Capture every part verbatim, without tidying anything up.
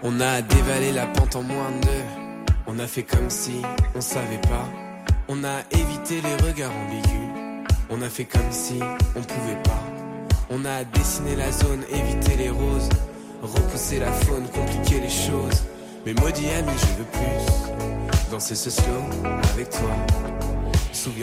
On a dévalé la pente en moins de deux. On a fait comme si on savait pas. On a évité les regards ambigus. On a fait comme si on pouvait pas. On a dessiné la zone, évité les roses, repousser la faune, compliquer les choses. Mais maudit ami, je veux plus danser ce slow avec toi.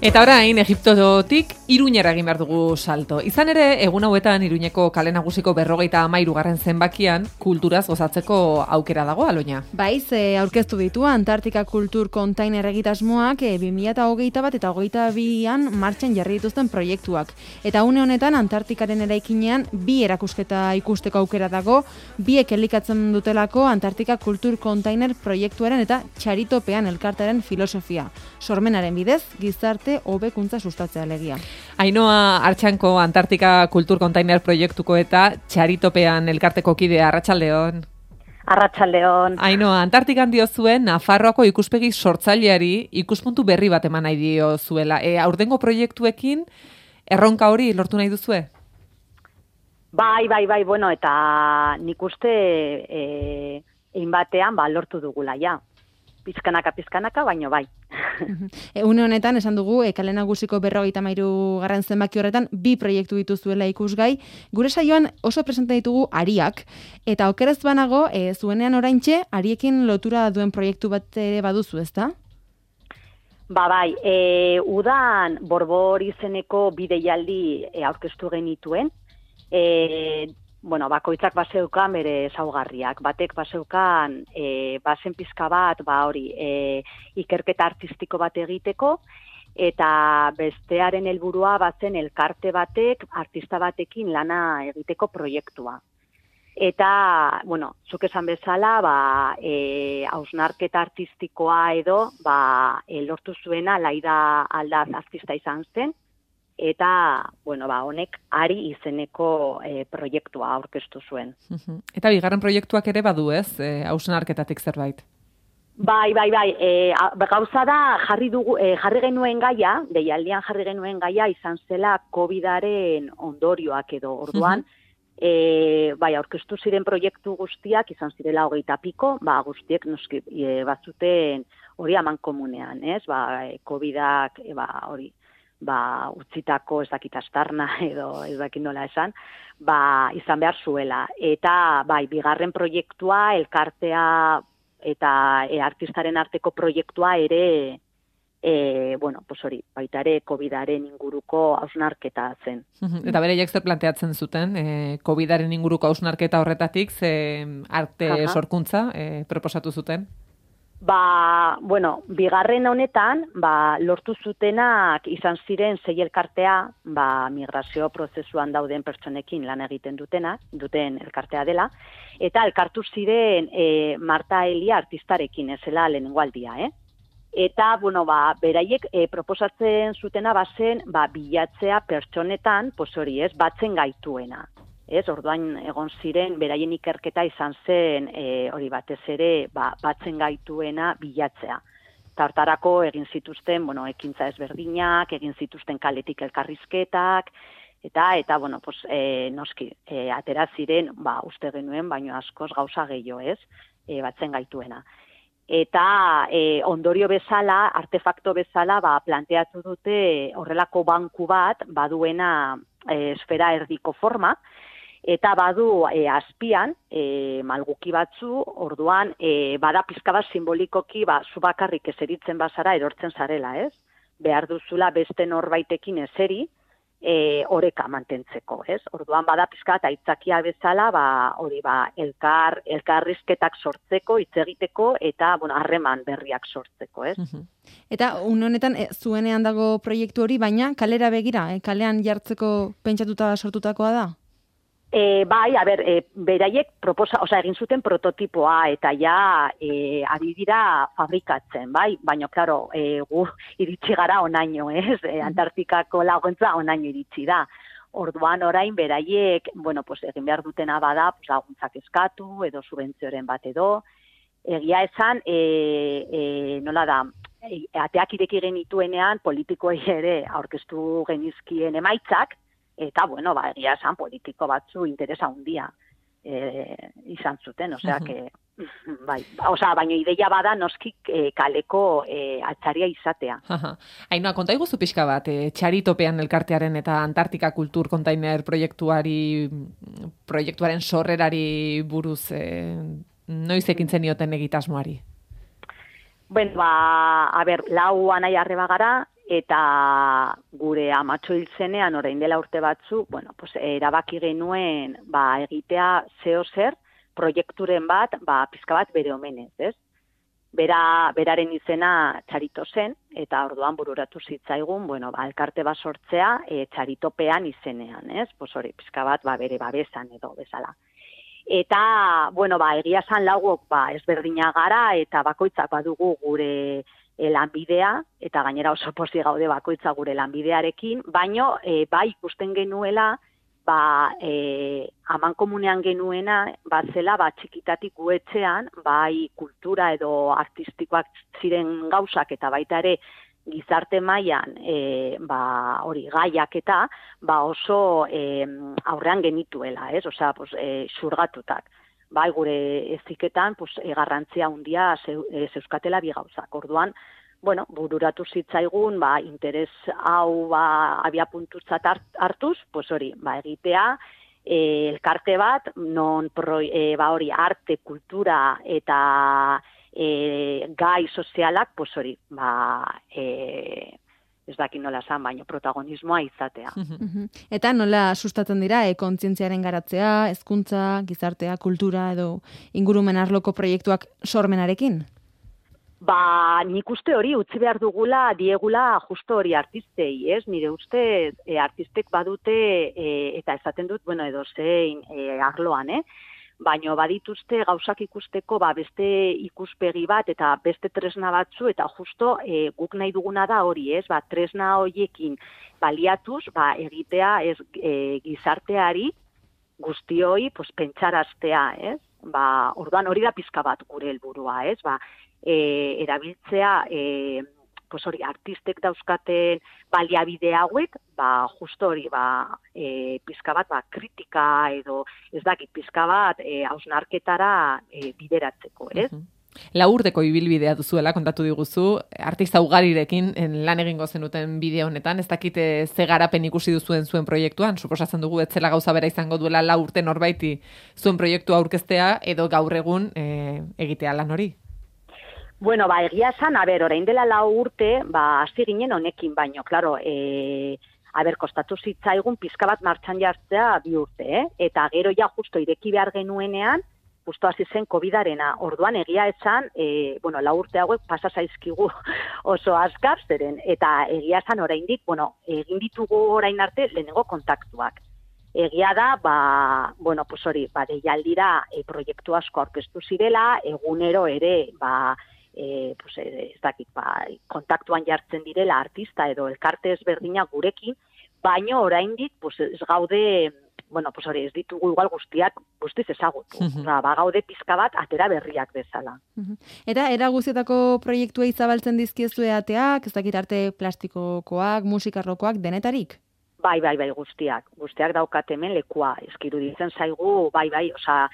Eta orain, Egiptotik Iruñera egin behar dugu salto. Izan ere, egun hauetan Iruñeko kale nagusiko berrogeita hamairu garren zenbakian kulturaz gozatzeko aukera dago, Aloña. Bai, ze aurkeztu ditu Antartika Kultur Kontainer egitasmoak e, bi mila hogeita bat eta hogeita bian martxan jarri dituzten proiektuak. Eta une honetan Antartikaren eraikinean bi erakusketa ikusteko aukera dago, biek elikatzen dutelako Antartika Kultur Kontainer proiektuaren eta txaritopean elkartearen filosofia. Sormenaren bidez, gizarte hobekuntza sustatzea alegia. Ainhoa Artxanko Antartika Kultur Kontainer proiektuko eta txaritopean elkarteko kidea, arratsaldeon. Arratsaldeon. Ainhoa, Antartikan diozuen Nafarroako ikuspegi sortzaileari ikuspuntu berri bat eman nahi diozuela. E, aurtengo proiektuekin erronka hori lortu nahi duzue? Bai, bai, bai, bueno, eta nik uste eh ein batean ba lortu dugula ja. Pizkanaka, pizkanaka, baino bai. Une honetan, esan dugu, e, kale nagusiko berrogeita hamairu garren zenbaki horretan, bi proiektu dituzuela ikusgai. Gure saioan oso presente ditugu ariak, eta okerez banago, e, zuenean oraintxe, ariekin lotura duen proiektu bat ere baduzu, ezta? Ba bai, e, udan Borbor izeneko bideialdi e, aurkeztu genituen, e, bueno, bakoitzak baseukan bere ezaugarriak. Batek baseukan e, bazen pizka bat, ba hori, e, ikerketa artistiko bat egiteko, eta bestearen helburua bazen elkarte batek, artista batekin lana egiteko proiektua. Eta, bueno, zuk esan bezala, ba, e, hausnarketa artistikoa edo, ba, e, lortu zuena Laida Aldaz artista izan zen, eta, bueno, ba, honek ari izeneko e, proiektua aurkeztu zuen. Eta bigarren proiektuak ere badu, ez? E, hausnarketatik zerbait. Bai, bai, bai. E, gauza da jarri dugu, e, jarri genuen gaia, deialdian jarri genuen gaia izan zela COVIDaren ondorioak edo orduan, e, bai, aurkeztu ziren proiektu guztiak izan zirela hogeita piko, ba, guztiek noski e, batzuten hori amankomunean, ez? Ba, e, COVIDak, e, ba, hori, ba, utzitako ez dakit astarna edo ez dakit nola esan, ba, izan behar zuela. Eta, bai, bigarren proiektua, elkartea eta e, artistaren arteko proiektua ere, e, bueno, pues hori, baita ere COVIDaren inguruko hausnarketa zen. Eta bereiek zer planteatzen zuten, e, COVIDaren inguruko hausnarketa horretatik, ze arte Aha. sorkuntza e, proposatu zuten? Ba, bueno, bigarren honetan, ba, lortu zutenak izan ziren sei elkartea, ba, migrazio prozesuan dauden pertsonekin lan egiten dutenak, duten elkartea dela, eta elkartu ziren e, Marta Elia artistarekin, ezela lehenengo aldia, eh? Eta, bueno, ba, beraiek e, proposatzen zutena bazen, ba, bilatzea pertsonetan, pues hori ez, batzen gaituena. Ez, orduan egon ziren, beraien ikerketa izan zen, e, hori batez ere, ba, batzen gaituena bilatzea. Tartarako egin zituzten, bueno, ekintza ezberdinak, egin zituzten kaletik elkarrizketak, eta, eta bueno, pues, e, noski, e, atera ziren, ba, uste genuen, baino askoz gauza gehiago, ez, e, batzen gaituena. Eta e, ondorio bezala, artefakto bezala, ba, planteatu dute horrelako banku bat, baduena e, esfera erdiko forma, eta badu e, azpian, e, malguki batzu, orduan, e, bada pizka bat simbolikoki, ba, zu bakarrik eseritzen bazara erortzen zarela, ez? Behar duzula beste norbaitekin eseri, e, oreka mantentzeko, ez? Orduan, bada pizka eta aitzakia bezala, ba, hori, ba, elkar, elkarrizketak sortzeko, hitz egiteko, eta, bueno, harreman berriak sortzeko, ez? Eta, un honetan, e, zuenean dago proiektu hori, baina kalera begira, e, kalean jartzeko pentsatuta sortutakoa da? E, bai, a ber, e, beraiek proposa, osea, egin zuten prototipoa eta ja e, ari dira fabrikatzen, bai? Baina, klaro, e, gu iritsi gara onaino, ez? E, Antartikako laguntza onaino iritsi da. Orduan orain beraiek, bueno, pues, egin behar dutena bada, pues, laguntzak eskatu edo subentzioren bat edo. Egia esan, e, e, nola da, e, ateak ireki genituenean politikoei ere aurkeztu genizkien emaitzak, eta, bueno, ba, egia esan politiko batzu interesa handia e, izan zuten, osea, que... bai. Osa, baina ideia bada noski e, kaleko e, altzaria izatea. Ainoa, konta iguzu pixka bat, e, txaritopean elkartearen eta Antartika Kultur Kontainer proiektuari, proiektuaren sorrerari buruz, e, noiz ekintzen nioten egitasmoari? Ben, ba, a ber, lau anai arreba gara, eta gure amatxo hil zenean, orain dela urte batzu, bueno, pues, erabaki genuen ba, egitea zeo zer, proiekturen bat, ba, pizka bat bere omenez, ez? Bera, beraren izena txarito zen, eta orduan bururatu zitzaigun, bueno, ba, elkarte bat sortzea e, txaritopean izenean, ez? Pues hori, pizka bat ba, bere babesan edo bezala. Eta, bueno, ba, egia san laugok ba, ezberdina gara, eta bakoitzak badugu gure e, lanbidea, eta gainera oso posi gaude bakoitza gure lanbidearekin, baino e, bai ikusten genuela, ba, e, aman komunean genuena, bat zela, ba, txikitatik guetxean, bai kultura edo artistikoak ziren gauzak, eta baita ere gizarte mailan e, ba, hori gaiak eta ba, oso e, aurrean genituela, ez? Osea, pues, e, xurgatutak. Bai, gure eziketan, pues, e, garrantzia handia zeu, e, zeuzkatela bi gauzak. Orduan, bueno, bururatu zitzaigun, ba, interes hau ba, abia puntutzat hartuz, pues hori, ba, egitea, e, elkarte bat, non pro, e, ba, hori, arte, kultura eta e, gai sozialak, pues hori, ba, e, ez dakit nola esan, baino protagonismoa izatea. Eta nola sustatzen dira, e, kontzientziaren garatzea, hezkuntza, gizartea, kultura edo ingurumen arloko proiektuak sormenarekin? Ba, nik uste hori utzi behar dugula, diegula justo hori artistei, ez? Nire uste e, artistek badute, e, eta esaten dut, bueno, edo zein e, arloan, eh? Baina badituzte gauzak ikusteko ba, beste ikuspegi bat eta beste tresna batzu, eta justo e, guk nahi duguna da hori, ez? Ba, tresna horiekin baliatuz, ba, egitea ez, e, gizarteari guztioi pues, pentsaraztea, ez? Ba, orduan hori da pizka bat gure helburua, ez? Ba, E, erabiltzea e, pues hori, artistek dauzkaten baliabide hauek, ba, justo hori, ba, e, pizka bat, ba, kritika edo ez dakit pizka bat e, hausnarketara e, bideratzeko, ez? Uh-huh. Lau urteko ibilbidea duzuela, kontatu diguzu, artista ugarirekin lan egingo zenuten bideo honetan, ez dakit ze garapen ikusi duzuen zuen proiektuan, suposatzen dugu etzela gauza bera izango duela lau urte norbaiti zuen proiektua aurkeztea edo gaur egun e, egitea lan hori. Bueno, ba, egia esan, a ber, orain dela lau urte, ba, hasi ginen honekin, baino, klaro, e, a ber, kostatu zitzaigun pizka bat martxan jartzea bi urte, eh? Eta gero ja justo ireki behar genuenean, justo hasi zen kovidarena. Orduan egia esan, e, bueno, lau urte hauek pasa zaizkigu oso azkar zeren, eta egia esan oraindik, bueno, egin ditugu orain arte lehenengo kontaktuak. Egia da, ba, bueno, pues hori, ba, deialdira e, proiektu asko aurkeztu zirela, egunero ere, ba, E, pues, ez dakit, ba, kontaktuan jartzen direla artista edo elkarte ezberdinak gurekin, baino oraindik pues, ez gaude, bueno, pues hori ez ditugu igual guztiak guztiz ezagutu. Uh-huh. Ba, gaude pizka bat atera berriak bezala. Uh-huh. Eta era guztietako proiektuei zabaltzen dizkiezue ateak, ez dakit arte plastikokoak, musikarrokoak, denetarik? Bai, bai, bai, guztiak. Guztiak daukat hemen lekua. Eskiru ditzen zaigu, bai, bai, osea,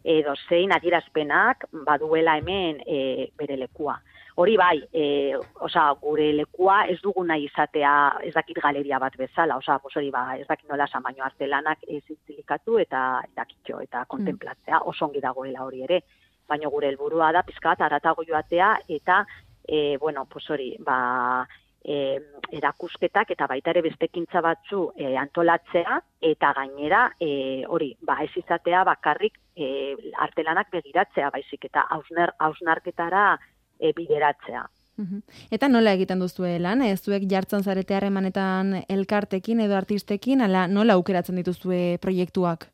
edo zein adierazpenak baduela hemen e, bere lekua. Hori bai, e, oza, gure lekua ez dugu nahi izatea ez dakit galeria bat bezala, oza, pues hori ba, ez dakit nola esan, baino artelanak ez zintzilikatu eta dakitxo eta kontemplatzea, oso ongi dagoela hori ere. Baina gure helburua da pizka bat aratago joatea eta, e, bueno, pues hori, ba, E, erakusketak eta baita ere bestekintza batzu e, antolatzea eta gainera e, hori, ba ez izatea bakarrik e, artelanak begiratzea baizik eta hausner, hausnarketara e, bideratzea. Uh-huh. Eta nola egiten duzue lan? Ez zuek jartzen zarete harremanetan elkartekin edo artistekin, ala nola aukeratzen dituzue proiektuak?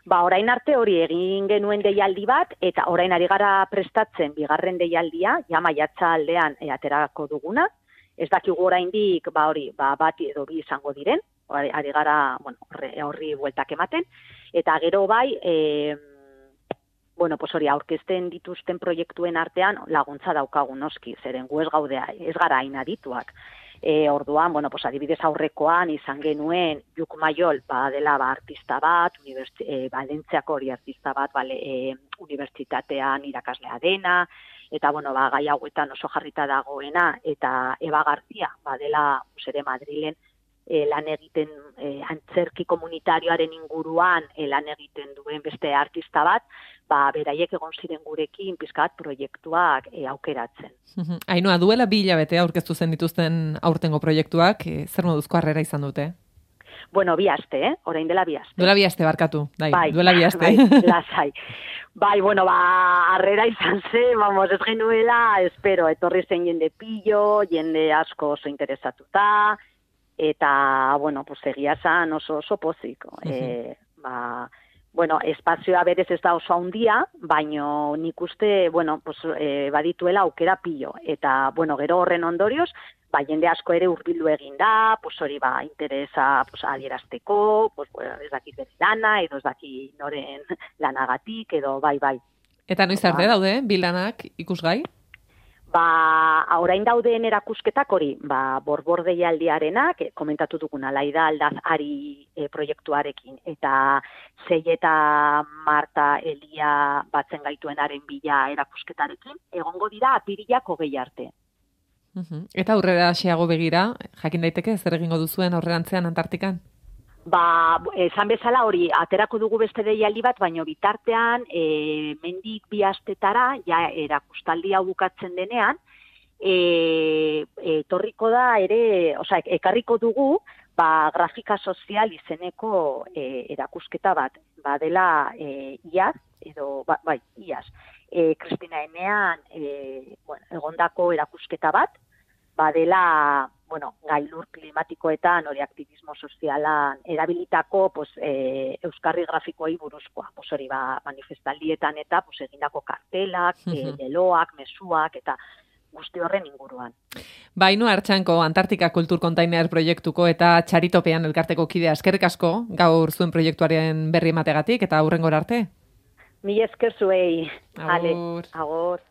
Ba, orain arte hori egin genuen deialdi bat, eta orain ari gara prestatzen bigarren deialdia, ja maiatza aldean e, aterako duguna. Ez dakigu oraindik ba hori, ba bat edo bi izango diren, ari gara, bueno, horri, horri bueltak ematen, eta gero bai, e, bueno, pues hori, aurkezten dituzten proiektuen artean laguntza daukagu noski, zeren gu ez gaudea, ez gara hain adituak. E, orduan, bueno, pues, adibidez aurrekoan izan genuen Juk Maiol, ba, dela ba, artista bat, e, Valentziako hori artista bat, bale, e, unibertsitatean irakaslea dena, eta, bueno, ba, gai hauetan oso jarrita dagoena, eta Eba Garzia, ba, dela, ere Madrilen, e, lan egiten, e, antzerki komunitarioaren inguruan, e, lan egiten duen beste artista bat, ba, beraiek egon ziren gurekin pizkat proiektuak e, aukeratzen. Ainhoa, duela bi hilabete aurkeztu zen dituzten aurtengo proiektuak, e, zer moduzko harrera izan dute? Bueno, bi aste, eh? Orain dela bi aste. Duela bi aste, barkatu. Dai, bai, duela bi aste. Bai, lasai. Bai, bueno, ba, harrera izan zen, vamos, ez genuela, espero, etorri zen jende pillo, jende asko oso interesatuta, eta, bueno, pues, egia zan oso oso pozik. Uh-huh. E, ba, bueno, espazioa berez ez da oso handia, baino nik uste, bueno, pues, e, badituela aukera pillo. Eta, bueno, gero horren ondorioz, ba, jende asko ere hurbildu egin da, pues, hori ba, interesa pues, adierazteko, pues, bueno, ez dakit bere lana, edo ez dakit noren lanagatik, edo bai, bai. Eta noiz arte daude, bi lanak ikusgai? Ba, orain dauden erakusketak hori, ba, borbor deialdiarenak, komentatu duguna, Laida Aldaz Ari e, proiektuarekin, eta Zei eta Marta Elia batzen gaituenaren bila erakusketarekin, egongo dira apirilak hogei arte. Uh-huh. Eta aurrera xeago begira, jakin daiteke, zer egingo duzuen aurrerantzean Antartikan? Ba, esan bezala hori, aterako dugu beste deialdi bat, baino bitartean, e, mendik bi astetara, ja, erakustaldia bukatzen denean, e, e, torriko da ere, osea, ekarriko dugu, ba, grafika sozial izeneko e, erakusketa bat, ba, dela e, iaz, edo, ba, bai, iaz, e, Kristina Enean, e, bueno, egondako erakusketa bat, ba, dela, bueno, gailur klimatikoetan, hori aktivismo sozialan erabilitako, pues, e, euskarri grafikoei buruzkoa. Pues, hori ba, manifestaldietan eta pues, egindako kartelak, uh-huh. e, leloak, mezuak, eta guzti horren inguruan. Ba, Ainhoa Artxanko, Antartika Kultur Container proiektuko eta Txaritopean elkarteko kidea, eskerrik asko, gaur zuen proiektuaren berri emategatik, eta aurrengora arte. Mila esker zuei. Agur. Agur.